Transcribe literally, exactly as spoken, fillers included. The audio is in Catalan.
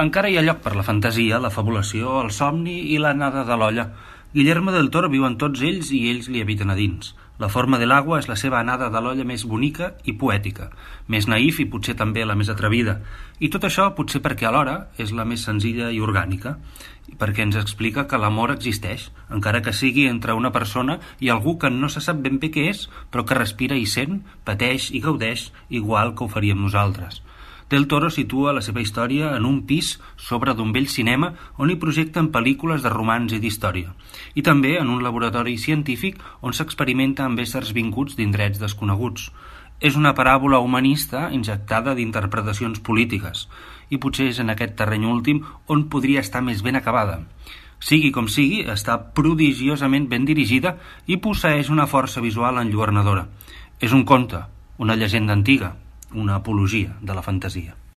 Encara hi ha lloc per la fantasia, la fabulació, el somni i l'anada de l'olla. Guillermo del Toro viu en tots ells i ells li habiten a dins. La forma de l'agua és la seva anada de l'olla més bonica i poètica, més naïf i potser també la més atrevida. I tot això potser perquè alhora és la més senzilla i orgànica, perquè ens explica que l'amor existeix, encara que sigui entre una persona i algú que no se sap ben bé què és, però que respira i sent, pateix i gaudeix igual que ho faríem nosaltres. Del Toro situa la seva història en un pis sobre d'un vell cinema on hi projecten pel·lícules de romans i d'història, i també en un laboratori científic on s'experimenta amb éssers vinguts d'indrets desconeguts. És una paràbola humanista injectada d'interpretacions polítiques, i potser és en aquest terreny últim on podria estar més ben acabada. Sigui com sigui, està prodigiosament ben dirigida i posseeix una força visual enlluernadora. És un conte, una llegenda antiga, una apologia de la fantasia.